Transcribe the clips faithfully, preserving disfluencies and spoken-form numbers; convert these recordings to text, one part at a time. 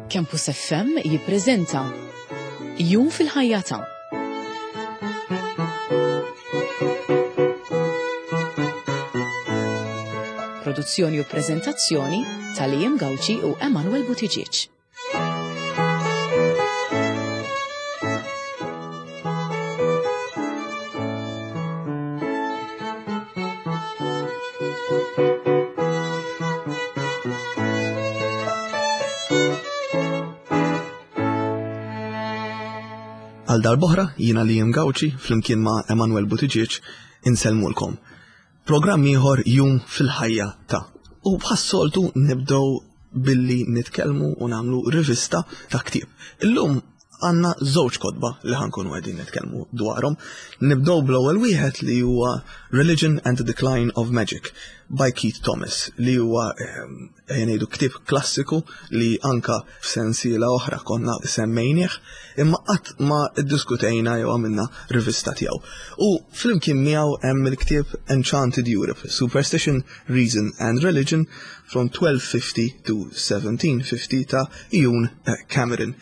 Campus F M jippreżenta Jum fil-ħajja ta' Produzzjoni u preżentazzjoni ta' Liam Gauci u Emanuel Buttigieg. Għal darb'oħra, jiena Liam Gauci flimkien ma' Emanuel Buttigieg insellmulkom. Programm ieħor, Jum fil-ħajja ta'. U bħas-soltu nibdew billi nitkellmu u nagħmlu rivista ta' ktieb. Illum għandna żewġ kotba li ħa nkunu qegħdin nitkellmu dwarhom. Nibdew bl-ewwel wieħed, li huwa Religion and the Decline of Magic by Keith Thomas, li huwa ehm, ngħidu ktieb klassiku li anka f'sensiela oħra konna semmejnieh, imma qatt ma ddiskutejna jew għamilna rivista tiegħu. U flimkien miegħu hemm il-ktieb Enchanted Europe: Superstition, Reason and Religion from twelve fifty to seventeen fifty ta' Ian Cameron.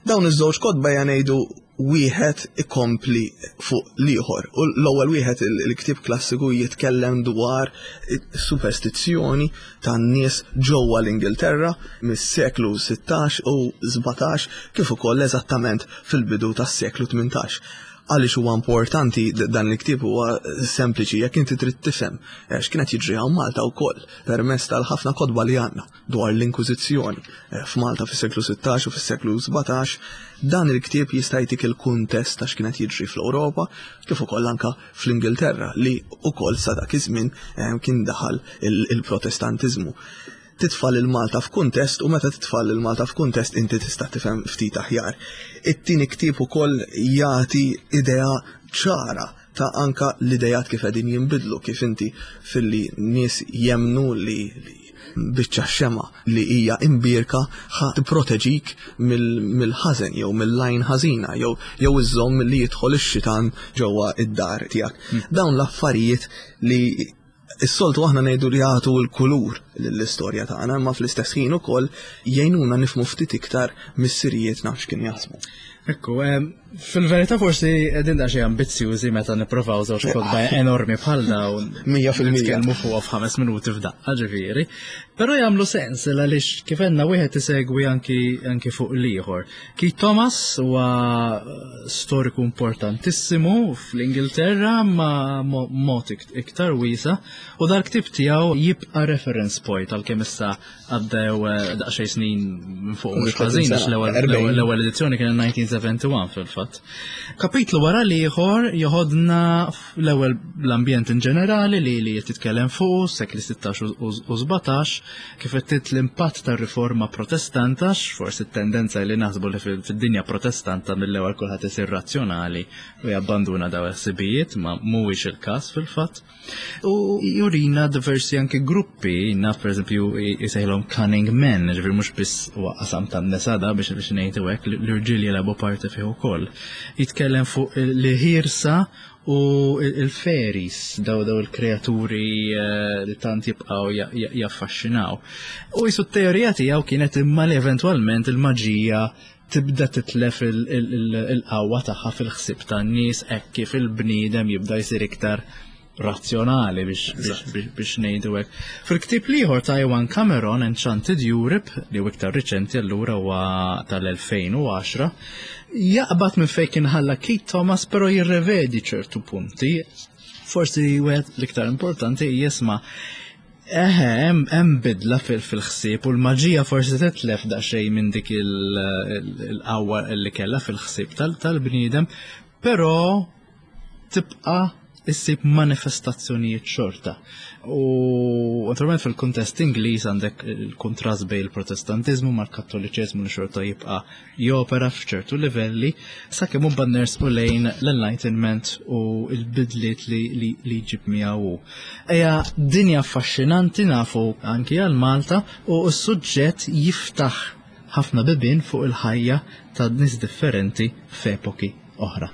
Dawn iż-żewġ kotba ngħidu wieħed ikompli fuq l-ieħor. U l-ewwel wieħed, il-ktieb klassiku, jitkellem dwar superstizzjoni tan-nies ġewwa l-Ingilterra mis-seklu sittax u sbatax, kif ukoll eżattament fil-bidu tas-seklu tmintax. Għaliex huwa importanti dan il-ktieb? Huwa sempliċi, jekk inti trid tifhem eh, x'kienet jiġri hawn Malta wkoll permezz tal-ħafna kotba li għandna dwar l-Inkwiżizzjoni eh, f'Malta fis-seklu sittax u fis-seklu sbatax, dan il-ktieb jista' jtik il-kuntest ta' x'kienet jiġri fl-Ewropa kif ukoll anka fl-Ingilterra, li ukoll sa dak iż-żmien eh, kien daħal il-Protestantiżmu. Titfa' lil Malta f'kuntest, u meta titfa' lil Malta f'kuntest inti tista' tifhem ftit aħjar. It-tieni ktieb ukoll jagħti idea ċara ta' anka l-idejat kif qegħdin jinbidlu, kif inti filli nies jemnu li biċċa xema li hija imbierka ħa tipproteġik mill-ħażen jew mill-għajn ħażina jew jew iżżomm li jidħol ix-xitan ġewwa id-dar tiegħek. Hmm. Dawn l-affarijiet li is-soltu aħna ngħidu li jagħtu l-kulur lill-istorja tagħna, imma fl-istess ħin ukoll jgħinuna nifhmu ftit iktar missirijietna x'kien jaħsbu. Ekku, fil-verità forsi qegħdin daqsxejn ambizzjużi meta nippruvaw żewġ kotba enormi bħal dawn. Mija fil-mija. Nitkellmu fuqha f'ħames minuti f'daqqa, ġifieri. Però jagħmlu sens għaliex, kif għedna, wieħed isegwi anki anki fuq l-ieħor. Keith Thomas huwa storiku importantissimu fl-Ingilterra ma mod iktar wiesa', u dal-ktieb tiegħu jibqa' reference point għalkemm issa għaddew eh, daqsxejn snin minn fuq, mhux ħażin, għax l-ewwel edizzjoni kien elf disa' mija u erbgħa u sebgħin fil-fatt. Kapitlu wara l-ieħor joħodna l-ewwel l-ambjent in ġenerali li li titkellem fuq sekli sittax u sbatax, kif qed l-impatt tar-riforma Protestanta, forsi t-tendenza li naħsbu li fid-dinja Protestanta mill-ewwel kulħadd isir razzjonali u jabbanduna daw il-ħsibijiet, ma mhuwiex il-każ fil-fatt. U jurina diversi anke gruppi, naf per eżempju jisejħilhom cunning men, ġifieri mhux biss huwa qasam tan-nisa da, biex biex ngħidu hekk, l-irġiel jilagħbu parti fih ukoll. Jitkellem fuq l-ħirsa u il-fairies, daw daw il-kreaturi eh, li tant jibqaw jaffaxxinaw. U jisu t-teorija tiegħu kienet imma li eventwalment il-maġija tibda titlef il-qawwa tagħha fil-ħsieb tan-nies hekk kif il-bniedem jibda jsir iktar razzjonali, biex biex ngħidu hekk. Fil-ktieb l-ieħor ta' Iwan Cameron, Enchanted Europe, li hu iktar riċenti, allura huwa tal-elfejn u għaxra, jaqbad minn fejn kien ħalla Keith Thomas, però jirrevedi ċertu punti. Forsi wieħed l-iktar importanti jisma' Eħe, hemm bidla fil-ħsieb u l-maġija forsi titlef daqsxejn minn dik il-qawwa li kellha fil-ħsieb tal-bniedem, però tibqa' issib manifestazzjonijiet xorta. U naturalment fil-kuntest Ingliż għandek il-kontrast bejn il-Protestantizmu mal-Kattoliċiżmu li xorta jibqa' jopera f'ċertu livelli, sakemm imbagħad nersqu lejn l-Enlightenment u l-bidliet li, li, li jġib miegħu. Eja, dinja affaxxinanti, nafu, anki għal Malta, u s-suġġett jiftaħ ħafna bibien fuq il-ħajja ta' nies differenti f'epoki oħra.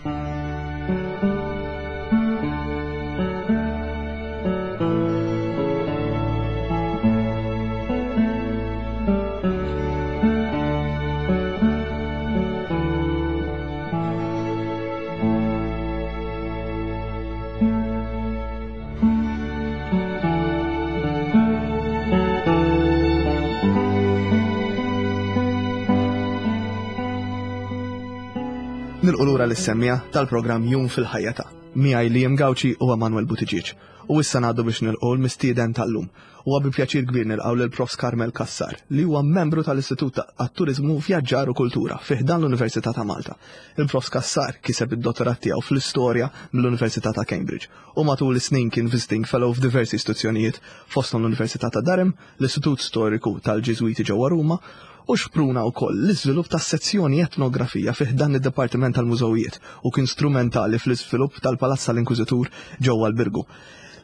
Nilqgħu lura lis-semmiegħa tal-programm Jum fil-ħajja ta' miegħi Liam Gauci u Emanuel Buttigieg. U issa ngħaddu biex nilqgħu l-mistieden tal-lum. Huwa bi pjaċir kbir nilqgħu lil Profs Carmel Cassar, li huwa membru tal-Istitut għat-Turiżmu, Vjaġġar u Kultura fi ħdan l-Università ta' Malta. Il-Profs Cassar kiseb id-dottorat tiegħu fl-istorja mill-Università ta' Cambridge u matul is-snin kien visiting fellow f'diversi istituzzjonijiet, fosthom l-Università ta' Durham, l-Istitut Storiku tal-Ġiżwiti ġewwa Ruma, u xpruna wkoll l-iżvilupp tas-sezzjoni etnografija fi ħdan id-Dipartiment tal-Mużewijiet u kien strumentali fl-iżvilupp tal-Palazz tal-Inkwiżitur ġewwa l-Birgu.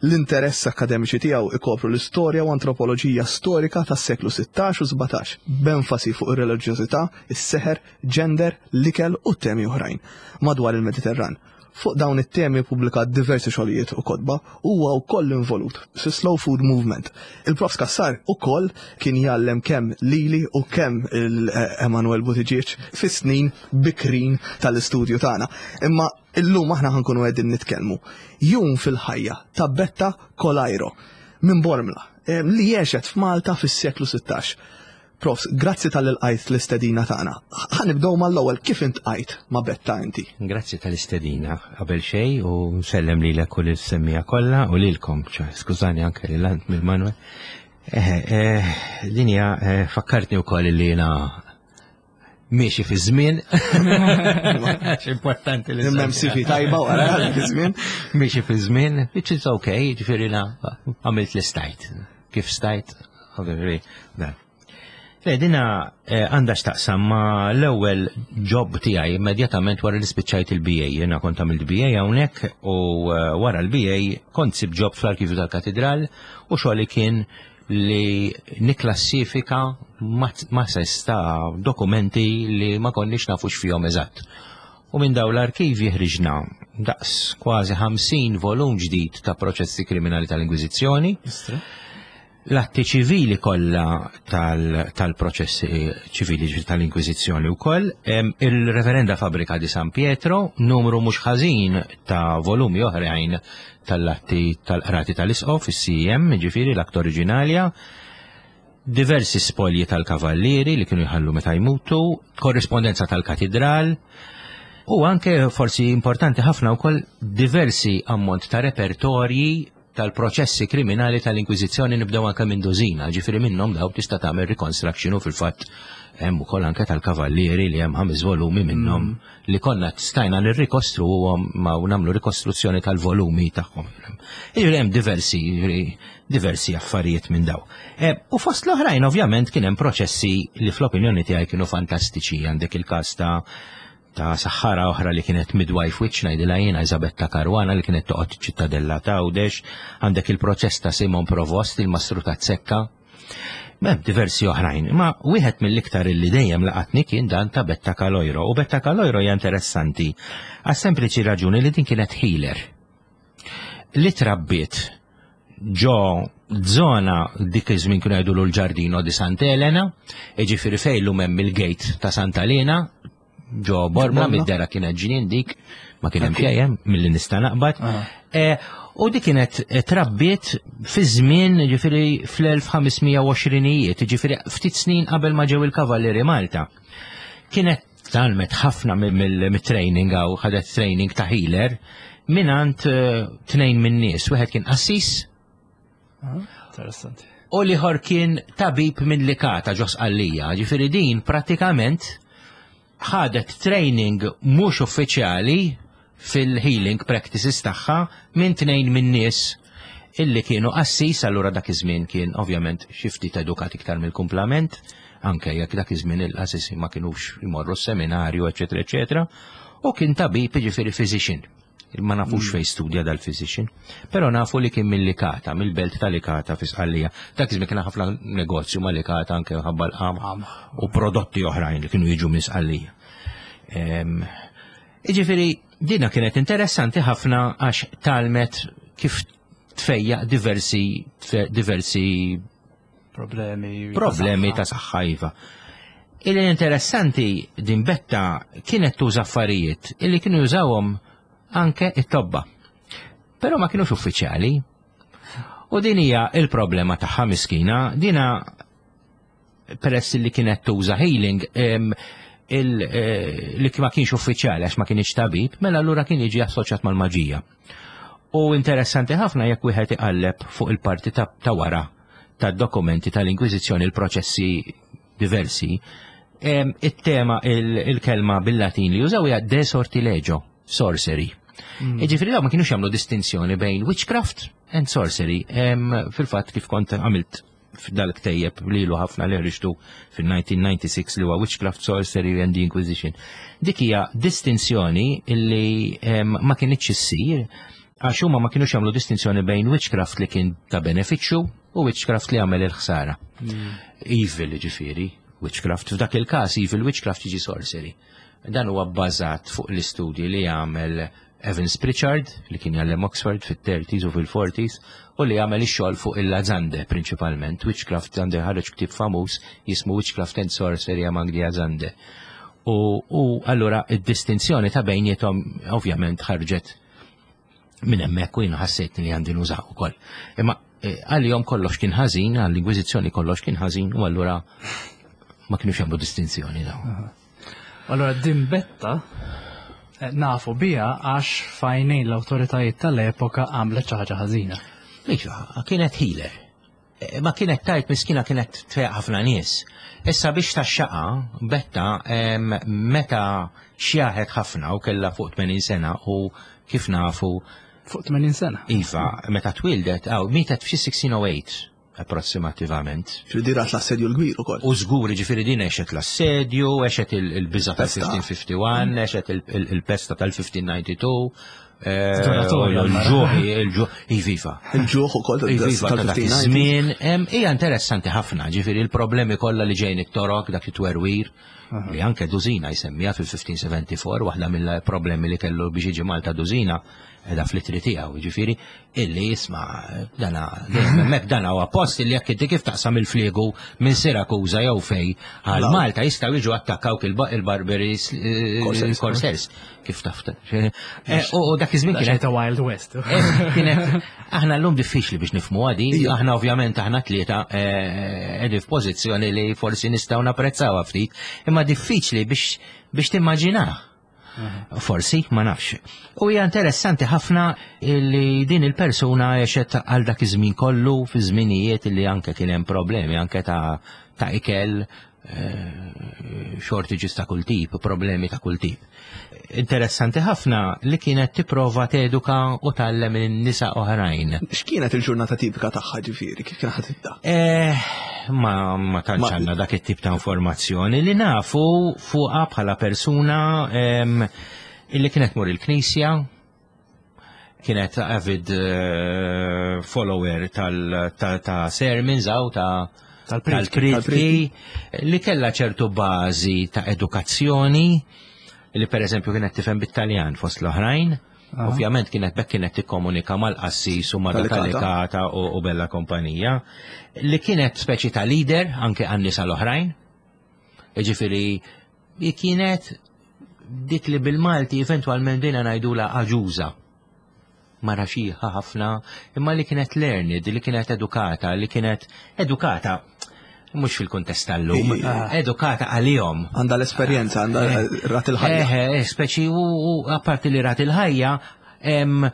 L-interess akademiċi tiegħu ikopru l-istorja u antropoloġija storika tas-seklu sittax u sbatax, b'enfasi fuq ir-reliġjożità, is-seħer, gender, l-ikel u temi oħrajn madwar il-Mediterran. Fuq dawn it-temi pubblika diversi xogħlijiet u kotba u huwa wkoll involut fi Slow Food Movement. Il-Profs Cassar ukoll kien jgħallem kemm lili u kemm il-Emanuel Buttigieg fis-snin bikrin tal-istudju tagħna. Imma illum aħna ħa nkunu qegħdin nitkellmu jum fil-ħajja ta' Betta Coleiro minn Bormla, eh, li għexet f'Malta fis-seklu sittax. Profs, grazzi talli lqajt l-istedina tagħna. Ħa nibdew mal-ewwel, kif iltqajt ma' Betta inti? Grazzi tal-istedina qabel xejn u nsellem lilek u lis-semmiegħa kollha u lilkom, ċa, skużani, anke lil ant mill Manuel. Eh, eh, Dinja eh, fakkartni wkoll li jiena miexi fi żmien. Importanti li Hemm C V tajba wara dak iż-żmien. Miexi fi żmien, which is okay, ġifieri na għamilt li stajt. Kif stajt, ġifieri, dan. Le, dina eh, għandha x'taqsam ma l-ewwel job tiegħi immedjatament wara li spiċċajt il-B A. Jiena kont għamilt B A hawnhekk u eh, wara l-B A kont sib job fl-arkivju tal-Katidral u xogħli kien li niklassifika masses ta' dokumenti li ma konniex nafu x'fihom eżatt. U minn daw l-arkivi ħriġna daqs kważi ħamsin volum ġdid ta' proċessi kriminali tal-Inkwiżizzjoni, l-atti ċivili kollha tal-proċessi ċivili tal-Inkwiżizzjoni wkoll, il-Reverenda Fabbrica di San Pietro, numru mhux ħażin ta' volumi oħrajn tal-atti tal-qrati tal-Isqof, is-C M, ġifieri l-akt oriġinalja, diversi spolji tal-kavallieri li kienu jħallu meta jmutu, korrispondenza tal-katidral, u anke forsi importanti ħafna wkoll diversi ammont ta' repertorji tal-proċessi kriminali tal-Inkwiżizzjoni, nibdew anke minn dożina, ġifieri minnhom daw tista' tagħmel reconstruction u fil-fatt hemm ukoll anke tal-kavallieri li hemm ħames volumi minnhom mm. li konna stajna nirrikostruhom ma nagħmlu rikostruzzjoni tal-volumi tagħhom. Jiġifieri hemm diversi diversi affarijiet minn daw. E, u fost l-oħrajn ovvjament kien hemm proċessi li fl-opinjoni tiegħi kienu fantastiċi. Għandek il-każ ta' ta' saħħara oħra li kienet midwife witch, ngħidilha jiena, Isabetta Caruana, li kienet toqgħod Ċittadella ta' Għawdex, għandek il-proċess ta' Simon Provost, il-mastru ta' Zekka. Hemm diversi oħrajn, ma wieħed mill-iktar illi dejjem laqatni kien dan ta' Betta Caloiro. U Betta Caloiro hija interessanti għas sempliċi raġuni li din kienet healer. Li trabbiet ġo zona dik iż-żmien kienu jgħidu l-Ġardino di Santa Elena, jiġifieri fejn llum hemm il-gate ta' Santa Elena, ġo Bormla, mid-dera kienet ġnien dik, ma kien hemm xejn milli nista' naqbad. E, u dik kienet trabbiet fi żmien, ġifieri fl-elf u ħames mija u għoxrinijiet, ġifieri ftit snin qabel ma ġew il-Kavallieri Malta. Kienet tgħallmet ħafna mit-training għaw ħadet training ta' healer minant eh, tnejn minn nies, wieħed kien qassis Ah, Interessanti. u l-ieħor kien tabib minn Likata ġo Sqallija. Ġifieri din pratikament ħadet training mhux uffiċjali fil-healing practices tagħha minn tnejn minn nies illi kienu qassis, allura dak iż-żmien kien ovvjament xi ftit edukat iktar mill-kumplament, anke jekk dak iż-żmien il-qassisi ma kinux imorru s-seminarju, eċetera, eċetera, u kien tabib, ġifieri physician. Ma nafux mm. fej studja dal-physician, però nafu li kien mill-Likata, mill-belt ta' Likata fi Sqallija. Dak iż-żmien kien ħafna negozju ma' Likata anke ħabba l-qamħ u prodotti oħrajn li kienu jiġu minn Sqallija. Iġifieri, dina kienet interessanti ħafna għax tgħallmet kif tfejjaq diversi diversi problemi problemi ta' saħħa, iva. Illi interessanti, din Betta kienet tuża affarijiet illi kienu jużawhom anke it-tobba. Però ma kienux uffiċjali. U din hija il-problema tagħha miskina, dina peress li kienet tuża healing, eh, li ma kienx uffiċjali għax ma kienx tabib, mela allura kien jiġi assoċjat mal-maġija. U interessanti ħafna jekk wieħed iqalleb fuq il-parti ta', ta wara tad-dokumenti tal-Inkwiżizzjoni, il-proċessi diversi, em, it-tema, il-kelma bil-Latin li jużaw hija de sortilegio, sorcery. Jiġifieri dawn ma kienux jagħmlu distinzjoni bejn witchcraft and sorcery. Em, Fil-fatt kif kont għamilt f'dal-ktejjeb li ilu ħafna li ħriġtu fil-elfejn u disgħa li huwa Witchcraft, Sorcery and the Inquisition. Dik hija distinzjoni illi em, ma kinitx issir għax huma ma kienux jagħmlu distinzjoni bejn witchcraft li kien ta' benefiċċju u witchcraft li għamel il-ħsara. Evil, ġifieri, witchcraft. F'dak il-każ evil witchcraft jiġi sorcery. Dan huwa bbażat fuq l-istudji li għamel Evans Pritchard, li kien jgħallem Oxford fit-thirties u fil-forties, u li għamel ix-xogħol fuq il-Azande prinċipalment. Witchcraft għandu ħareġ ktieb famuż jismu Witchcraft and Sorcery Among the Azande. U, u allura id-distinzjoni ta' bejniethom ovvjament ħarġet minn hemmhekk u jiena ħassejt li għandi nużaw ukoll. Imma eh, għalihom kollox kien ħażin, għall-Inkwiżizzjoni kollox kien ħażin u allura ma kienux jagħmlu distinzjoni dawn. Allora din Betta eh, nafu bija għax f'għajnejn l-awtoritajiet tal-epoka għamlet xi ħaġa ħażina. Iva, kienet healer. Eh, Ma kienet tajt miskina, kienet tfejjaq ħafna nies. Issa biex tax-xaqa, Betta em, meta xjaħet ħafna u kella fuq tmenin sena u kif nafu Fuq tmenin sena. Iva, meta twildet, aw, mietet f'xi elf u sitt mija u tmienja approssimativament. Ġifieri rat l-Assedju l-Kbir ukoll. U żgur, ġifieri din għexet l-assedju, għexet il-biża Pesta. tal-elf u ħmistax ħamsa u ħamsin, għexet il-pesta tal-elf u ħmistax disgħa u disgħin, eh, Doratorja, il-ġuħ, il-ġuħ, iviva. Il-ġuħ ukoll Iviva ta' dak tal-elf u ħmistax disgħin. iż-żmien, em, hija interessanti ħafna, ġifieri il-problemi kollha li ġejn it-Torok, dak it-twerwir, li anke Dusina jsemmija fil-elf u ħmistax sebgħa u erbgħin, waħda mill-problemi li kellu biex jiġi Malta Dusina edha fl-ittri tiegħu, ġifieri illi jisma' dana dejjem hemmhekk, dana huwa post illi jekk inti kif taqsam il-fliegu minn Sirakuża jew fej għal Malta jistgħu jiġu attakkawk il-Barbaris Corsairs. Corsairs kif taf. Eh, U u dak iż-żmien kienet Ta' Wild West. Eh, Kienet, aħna l-lum diffiċli biex nifhmu għadi, Ija. aħna ovvjament aħna tlieta eh, qegħdin f'pożizzjoni li forsi nistgħu napprezzawha ftit, imma diffiċli biex biex timmaġinah. Forsi, ma nafx. U hija interessanti ħafna li din il-persuna għexet għal dak iż-żmien kollu fi żminijiet li anke kien hemm problemi anke ta' ta' ikel, eh, shortages ta' kull tip, problemi ta' kull tip. Interessanti ħafna li kienet tipprova teduka u tgħallem in-nisa oħrajn. X'kienet il-ġurnata tipika tagħha ġifieri, kif kien ħadd tibda? Eh, ma, ma tantx Ma- għandna dak it-tip ta' informazzjoni li nafu fuqha bħala persuna em, illi kienet mur il-knisja, kienet avid eh, follower tal, ta, ta' sermons aw ta' Tal-prietki. tal-prietki, li kella ċertu bażi ta' edukazzjoni, li per eżempju kienet tifhem bit-Taljan fost l-oħrajn. Ovvjament kienet bekk kienet tikkomunika mal-qassis u ma' Tal-Licata. Tal-Licata u, u bella kompanija, li kienet speċi ta' leader anke għan-nisa l-oħrajn. Ġifieri, li kienet dik li bil-Malti eventualment bdejna ngħidula aġuża. Mara xiħa ħafna, imma li kienet learned, li kienet edukata, li kienet edukata, mhux fil-kuntest tal-lum, edukata għalihom. Għandha l-esperjenza, għandha rat il-ħajja. Eh, eh, speċi u u apparti li rat il-ħajja, em,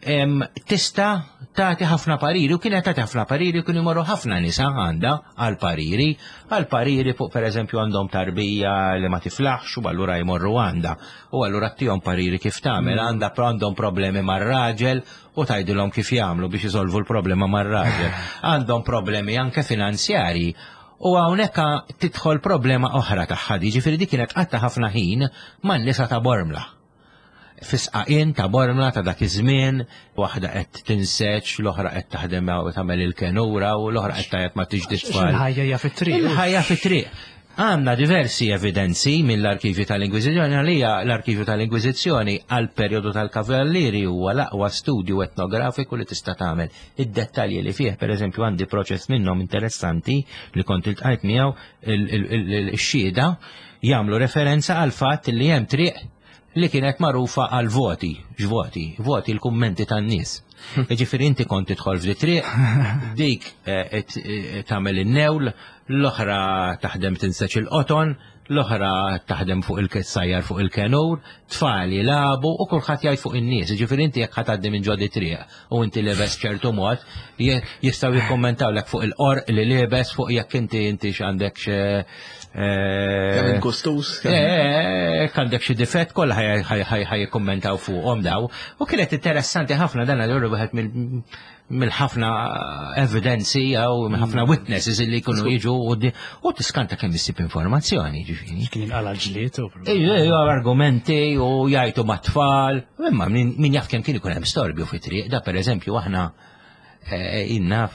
em, tista' tagħti ħafna pariri u kienet tagħti ħafna pariri u kienu jmorru ħafna nisa għandha għal pariri, għal pariri fuq per eżempju għandhom tarbija li ma tiflaħx u allura jmorru għandha u allura ttihom pariri kif tagħmel, għandha għandhom problemi mar-raġel u tgħidilhom kif jagħmlu biex isolvu l-problema mar-raġel. Għandhom problemi anke finanzjarji. U hawnhekk tidħol problema oħra tagħha, ġifieri dik kienet qatta ħafna ħin man-nisa ta' Bormla. Fis-sqaqien ta' Bormla ta' dak iż-żmien, waħda qed tinseġ, l-oħra qed taħdem u tagħmel il-kenura u l-oħra qed tgħid ma tiġdi tfal. Il-ħajja hija fit-triq. Il-ħajja fit-triq. Għandna diversi evidenzi mill-arkivju tal-Inkwiżizzjoni, għalija l-arkivju tal-Inkwiżizzjoni għal perjodu tal-Kavallieri huwa l-aqwa studju etnografiku li tista' tagħmel. Id-dettalji li fih, per eżempju, għandi proċess minnhom interessanti li kont iltqajt miegħu, il-xhieda jagħmlu referenza għal fatt li hemm triq li kienet magħrufa għal voti, x'voti, voti l-kummenti tan-nies. Ġifieri inti kont tidħol f'di triq, dik eh, et- eh, tagħmel in-newl, l-oħra taħdem tinseġ il-qoton, L-oħra taħdem fuq il-sajjar fuq il-kenur, tfal jilagħbu u kulħadd jgħid fuq in-nies. Ġifieri inti jekk ħa tgħaddi minn ġo dit-triq u inti lebes ċertu mod, jistgħu jikkommentawlek fuq il-qorq li lebes, fuq jekk inti inti x'għandek Kemm inkostus. Jekk għandek xi difett kollha ħaj jikkommentaw fuqhom daw. U kienet interessanti ħafna dan għal wieħed mill-ħafna evidenzi jew mill-ħafna witnesses li jkunu jiġu u tiskanta kemm issib informazzjoni, ġifieri. Kien jinqala ġlied u Ejju, argumenti u jgħajtu mat-tfal, imma min jaf kemm kien ikun hemm storbju fit-triq, da pereżempju aħna inna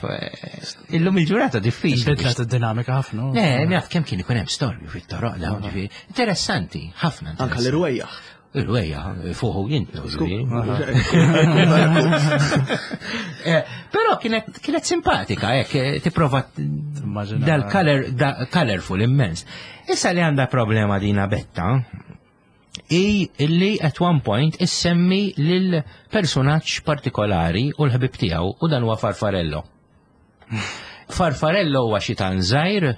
illum il-ġurnata diffiċli. Bidlet id-dinamika ħafna. Le, jaf kemm kien ikun hemm storbju fit-toroq dawn, ġifieri. Interessanti, ħafna. Anka l-irwejjaħ. Il-wejja, fuħu jintnu. Però kienet kienet simpatika, hekk tipprova dal-color colorful immens. Issa li għandha problema dina Betta, i li at one point issemmi lil personaġġ partikolari u l-ħbib tiegħu u dan huwa Farfarello. Farfarello huwa xitan żgħir.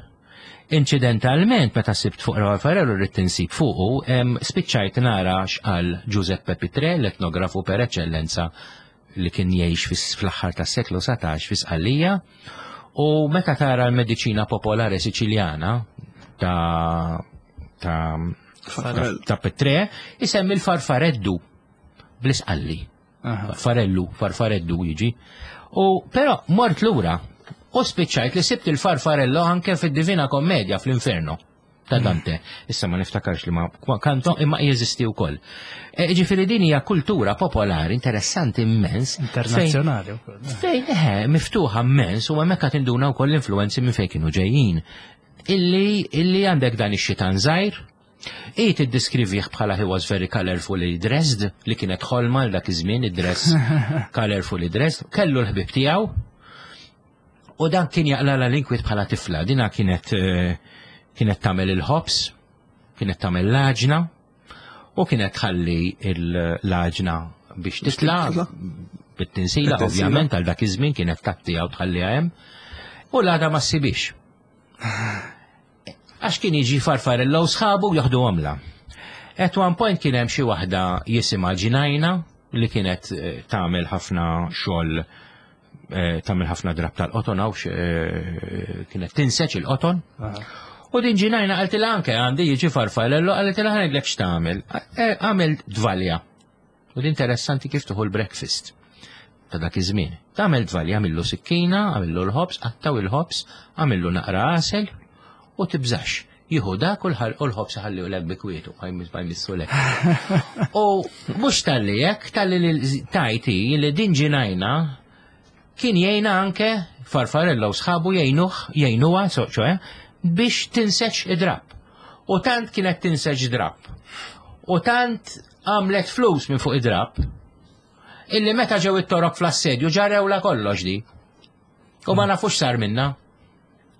Incidentalment, meta sibt fuq Farfarello rrid tinsib fuqu, spiċċajt nara x'qal Giuseppe Pitrè, l-etnografu per eccellenza li kien jgħix fl-aħħar tas-seklu satax fi Sqallija, u meta tara l-mediċina popolari Siċiljana ta' ta' ta' Pitrè, isemmi l-farfareddu bl-Isqalli. Farfarellu, farfareddu jiġi. U però mort lura u spiċċajt li sibt il-farfarello anke fid-Divina Kommedia fl-Inferno ta' Dante. Issa ma niftakarx li ma kanto imma jeżisti wkoll. Ġifieri din hija kultura popolari interessanti immens. Internazzjonali wkoll. Fejn eħe, miftuħa immens u hemmhekk qed induna wkoll l-influenzi minn fejn kienu ġejjin. Illi illi għandek dan ix-xitan żgħir, i tiddiskrivih bħala he was very colorfully dressed, li kienet ħolma l dak iż-żmien id-dress colorfully dressed, kellu l-ħbib tiegħu. U dan kien jaqlala l-inkwiet bħala tifla. Dina kienet kienet tagħmel il-ħobs, kienet tagħmel l-għaġna, u kienet tħalli l-għaġna biex titla' bit-tinsila, ovvjament, għal dak iż-żmien kienet tagħtiha u tħalliha hemm. U l-għada ma ssibix. Għax kien jiġi Farfarello u sħabu jaħdu għamla. At one point kien hemm xi waħda jisimha Ġinajna li kienet tagħmel ħafna xogħol, tagħmel ħafna drab tal-qoton, għaw kienet tinseċ il-qoton. U din Ġinajna qaltilha anke għandi jiġi Farfarello, qaltilha ħa ngħidlek x'tagħmel. Għamel dvalja. U din interessanti kif tuħu l-breakfast ta' dak iż-żmien. Tagħmel dvalja, għamillu sikkina, għamillu l-ħobż, qattaw il-ħobż, għamillu naqra għasel u tibżax. Jieħu dak u l-ħobż ħalli lek bi kwietu, ma jmissu lek. U mhux talli hekk, talli li tajti li din Ġinajna kien jgħinha anke Farfarello u sħabu jgħinuh, jgħinuha, ċoħe, biex tinseċ id-drab. U tant kienet tinseċ drab. U tant għamlet flus minn fuq id-drab, illi meta ġew it-torok fl-assedju ġarewla kollox di. U ma nafux sar minna.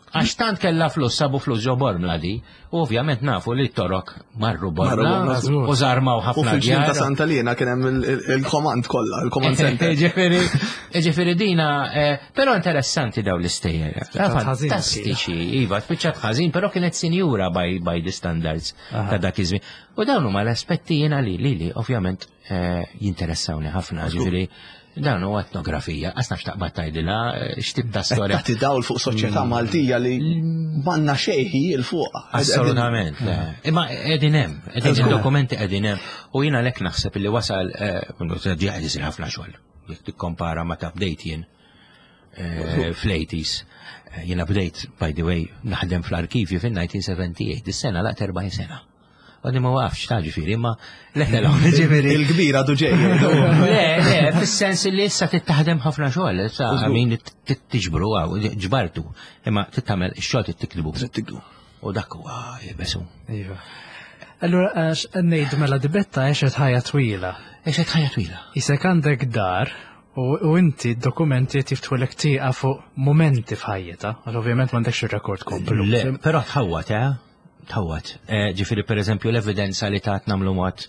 Għax tant kella flus, sabu flus ġo Bormla di, u ovvjament nafu li t-torok marru Bormla u żarmaw ħafna. U fil-ġnien ta' Santa Lina kien hemm il-komand kollha, il-command center. Ġifieri, ġifieri dina, però interessanti daw l-istejjer. Fantastiċi, iva, spiċċat ħażin, però kienet sinjura by, by the standards ta' dak iż-żmien. U dawn huma l-aspetti jiena li li li ovvjament jinteressawni ħafna, ġifieri dan huwa etnografija, għas nafx taqbad tgħidilha x'tib ta' storja. Tagħti dawl fuq soċjetà Maltija li m'għandna xejn il fuq. Assolutament. Imma qegħdin hemm, qegħdin id-dokumenti qegħdin hemm. U jiena lek naħseb li wasal ġie qed isir ħafna xogħol. Jekk tikkompara ma ta' bdejt jien fl-eighties. Jiena bdejt, by the way, naħdem fl-arkivju fin-nineteen seventy-eight, is-sena laqt erbgħin sena. Għadni ma waqafx ta' ġifieri, imma le, le, ġifieri. Il-kbira għadu ġej. Le, le, fis-sens li issa tittaħdem ħafna xogħol, issa għamin tiġbru għaw, ġbartu, imma tittamel ix-xogħol tittikdbu. Tittikdbu. U dak huwa jebesu. Iva. Allura, għax ngħidu mela dibetta għexet ħajja twila. Għexet ħajja twila. Isek għandek dar u inti d-dokumenti tiftħulek tieqa fuq momenti f'ħajjita, għax ovvjament m'għandekx ir-rekord komplu. Le, però tħawwat, eh? Tħawwat. Ġifieri per eżempju l-evidenza li tat nagħmlu mod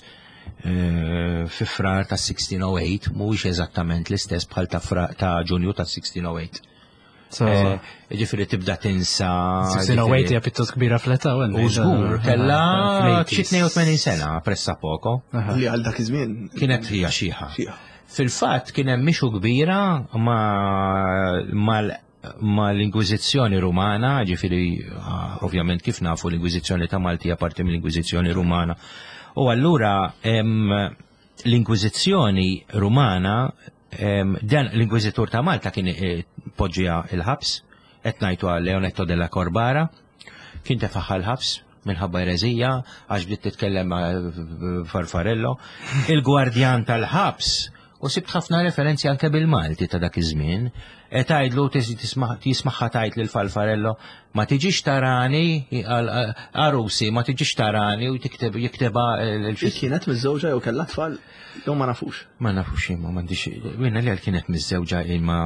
fi frar ta' sixteen oh eight mhuwiex eżattament l-istess bħal ta' Ġunju ta' sixteen oh eight. So- Eh, Ġifieri tibda tinsa. sixteen oh eight ġifieri- hija pjuttost kbira fl-età. U żgur, kella xi tnejn u tmenin sena pressa poco. Li għal dak iż-żmien. Kienet hija xiħa. Xiħa. Fil-fatt kien hemm mixu kbira ma mal ma l-Inkwiżizzjoni Rumana, ġifieri ah, ovvjament kif nafu l-Inkwiżizzjoni ta' Malti hija parti mill-Inkwiżizzjoni Rumana. U allura em, l-Inkwiżizzjoni Rumana em, dan l-Inkwiżitur ta' Malta kien eh, poġġija il-ħabs, qed ngħidu għal Leonetto della Corbara, kien tefaħħa l-ħabs minħabba erezija, għax bdiet titkellem ma' Farfarello. Il-gwardjan tal-ħabs, u sibt ħafna referenzi anke bil-Malti ta' dak iż-żmien, e tgħidlu jismagħha tgħid lil Falfarello, "Ma tiġix tarani, għarusi, ma tiġix tarani", u tikteb jikteba Hi kienet miżżewġa jew kellha tfal jew ma nafux? Ma nafux imma m'għandix minna li għal kienet miżżewġa imma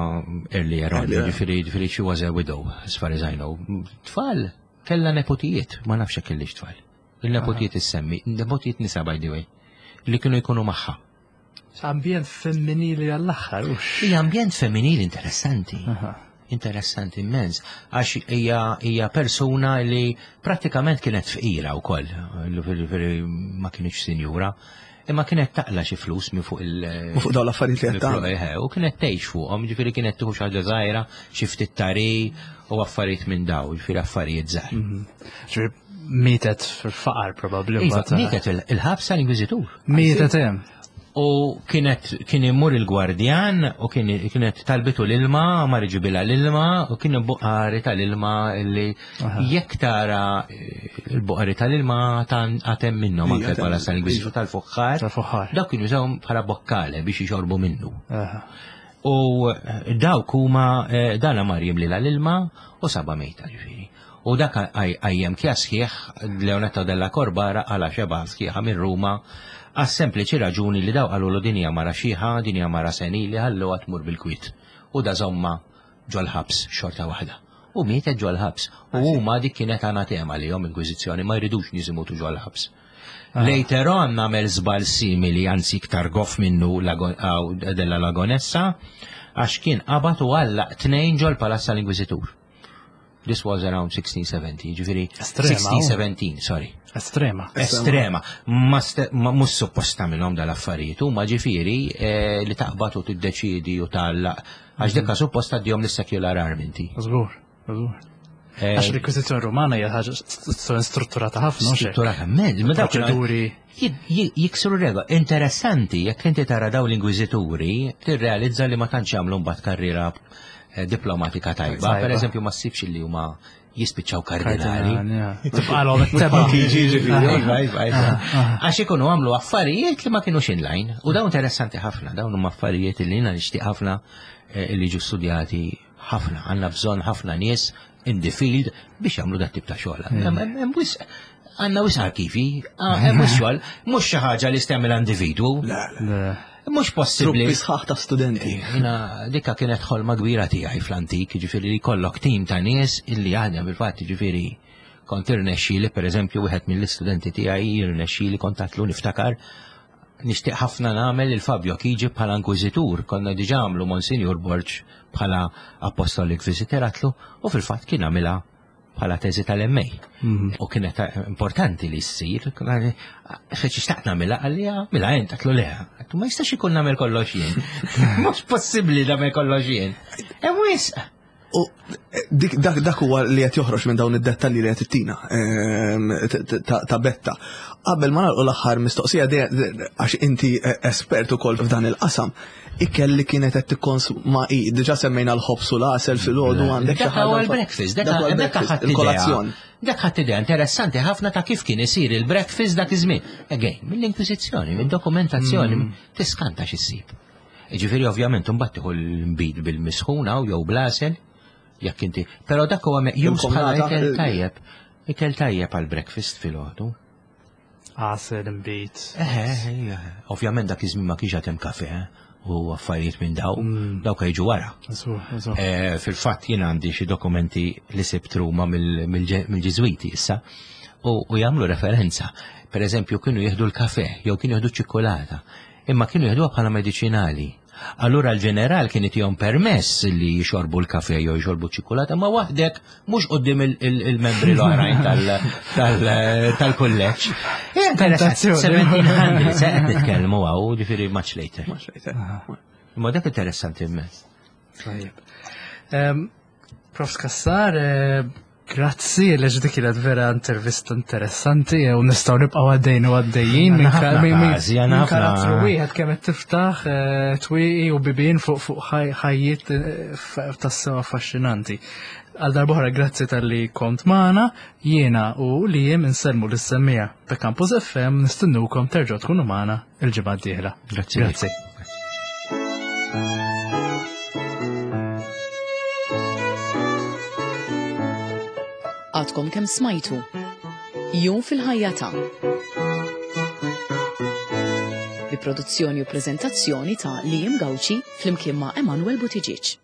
earlier on, Earlier. ġifieri ġifieri she was a widow, as far as I know. Tfal, kella nepotijiet, ma nafx jekk kellix tfal. Il-nepotijiet issemmi, nepotijiet nisa, by the way, li kienu jkunu magħha. Ambjent femminili għall-aħħar, ux. Hija ambjent femminili interessanti. Aha. Interessanti immens, għax hija hija persuna li prattikament kienet fqira wkoll, ġifieri ma kienx sinjura, imma kienet taqla xi flus minn fuq il- U fuq dawn l-affarijiet li qed tagħmel. Eh, U kienet tgħix fuqhom, ġifieri kienet tieħu xi ħaġa żgħira, xi ftit tari u affarijiet minn daw, ġifieri affarijiet żgħar. Ġifieri mietet fil-faqar probabbli. Iva, mbagħad- mietet il- il-ħabs tal-Inkwiżitur. Mietet hemm. U kienet kien imur il-gwardjan u kien, kienet talbitu l-ilma, ma ġibilha l-ilma, u kien buqari tal-ilma li jekk tara eh, il-buqari tal-ilma tan għatem minnhom Ija, anke għatem, bħala tal-Inkwiżitur tal-fuħħar. Tal-fuħħar. Dawk kienu jużawhom bħala bokkale biex jixorbu minnu. Aha. U eh, dawk huma eh, dana mar jimlilha l-ilma u saba mejta, ġifieri. U dak għajjem kja sħiħ Leonetto della Corbara għala xeba sħiħa minn Ruma għas sempliċi raġuni li daw qalu din hija mara xiħa, din hija mara senili, ħallu tmur bil-kwit. U da żomma ġol-ħabs xorta waħda. U mietet ġol-ħabs. U huma dik kienet anatema li jom Inkwiżizzjoni ma jridux nies imutu ġol-ħabs. Later on nagħmel żball simili, anzi iktar goff minnu Lago- aw, della Lagonessa, għax kien qabad u għallaq tnejn ġol palazz tal-Inkwiżitur. This was around sixteen seventy, ġifieri Estrema, oh. sixteen seventeen, sorry. Estrema. Estrema. Ma ste- ma mhux supposta minnhom dal-affarijiet, huma ġifieri eh, li taqbad u tiddeċidi u tgħallaq. Għax dekka supposta dihom lis-secular arm inti. Żgur, żgur. Eh, Għax l-Inkwiżizzjoni Rumana hija ħaġa st- strutturata ħafna, mhux hekk? Strutturata, med, ma dawk kienu- Proċeduri. Jik- jik- Jiksru regola. Interessanti, jekk inti tara daw l-inkwiżituri, tirrealizza li ma tantx jagħmlu mbagħad karriera eh, diplomatika tajba. Tajba. Per eżempju, ma ssibx li huma jispiċċaw kardinali. Tibqalhom it-teba. Iva, iva, iva. Għax ikunu għamlu affarijiet li ma kienux inline. U dawn interessanti ħafna, dawn huma affarijiet li jiena nixtieq ħafna eh, li ġu studjati ħafna. Għandna bżonn ħafna nies in the field biex jagħmlu dat tip ta' xogħol. Hemm- hemm- hemm wisq- Għandna wisq arkivi, ah, hemm wisq xogħol, mhux xi ħaġa li stemel individwu, Le. mhux possibbli. Truppi sħaħ ta' studenti. Jina, dikka kienet ħolma kbira tiegħi fl-antik, ġifieri li kollok tim ta' nies illi jaħdem bil-fatt, ġifieri kont irnexxieli, per eżempju, wieħed mill-istudenti tiegħi irnexxieli kontatlu niftakar nixtieq ħafna nagħmel il-Fabio Chigi bħala inkwiżitur, konna diġà għamlu Monsignor Borg bħala Apostolic Visitor, għatlu, u fil-fatt kien għamilha bħala teżi tal-M A. U kienet importanti li ssir, feċi xtaqt nagħmilha, qalli mela int, għatlu le, għatlu ma jistax ikun nagħmel kollox jien. Mhux possibbli nagħmel kollox jien. Hemm wisq. U dik dak dak huwa li qed joħroġ minn dawn id-dettalji li qed ittina ehm, t- t- ta' ta' Betta. Qabel ma nagħlqu l-aħħar mistoqsija de- de- għax inti eh, espert ukoll f'dan il-qasam, ikel li kienet qed tikkonsma hi, diġà semmejna l-ħobs u l-għasel filgħodu, għandek xi Dak huwa ħaġa- l-breakfast, dak Dak huwa dak l-breakfast, ħadd idea. il-kolazzjon. Dak ħadd idea interessanti ħafna ta' kif kien isir il-breakfast dak iż-żmien. Again, mill-Inkwiżizzjoni, mid-dokumentazzjoni, tiskanta x'issib. Ġifieri ovvjament imbagħad tieħu l-nbid bil-misħuna u jew bl-għasel, jekk inti. Però dak huwa meqjus bħala Il-komnata, ikel il- tajjeb. Ikel tajjeb għal breakfast filgħodu. Għasel, imbit. Eh, eh, ovvjament dak iż-żmien ma kienx hemm kafe eh, u affarijiet minn daw, dawk jiġu wara. Żgur, żgur. Eh, Fil-fatt jien għandi xi dokumenti li sibt Ruma mill- mill- mill-Ġiżwiti issa u, u jagħmlu referenza. Per eżempju, kienu jieħdu l-kafe jew kienu jieħdu ċikkolata, imma kienu jieħduha bħala mediċinali. Allura l-ġeneral kien itihom permess li jixorbu l-kafe jew jixorbu ċikolata, ma waħdek mhux quddiem il-membri l-oħrajn tal-kulleġġ. seventeen hundred, se qed nitkellmu hawn, ġifieri much later. Much later. Ma dak interessanti immens. Tajjeb. Prof Cassar, eh, grazzi li dik kienet vera intervista interessanti u nistgħu nibqgħu għaddejn u għaddejjin minn karattru wieħed kemm qed tiftaħ eh, twieqi u bibien fuq fuq ħajjiet eh, tassew affaxxinanti. Għal darb'oħra grazzi talli kont magħna, jiena u li jiem insellmu lis-semmiegħa ta' Campus F M, nistennukom terġgħu tkunu magħna il-ġimgħa d-dieħla. Grazzi. Grazzi. Għadkom kemm smajtu Jum fil-ħajja ta' bi produzzjoni u prezentazzjoni ta' Liam Gauci flimkien ma' Emanuel Buttigieg.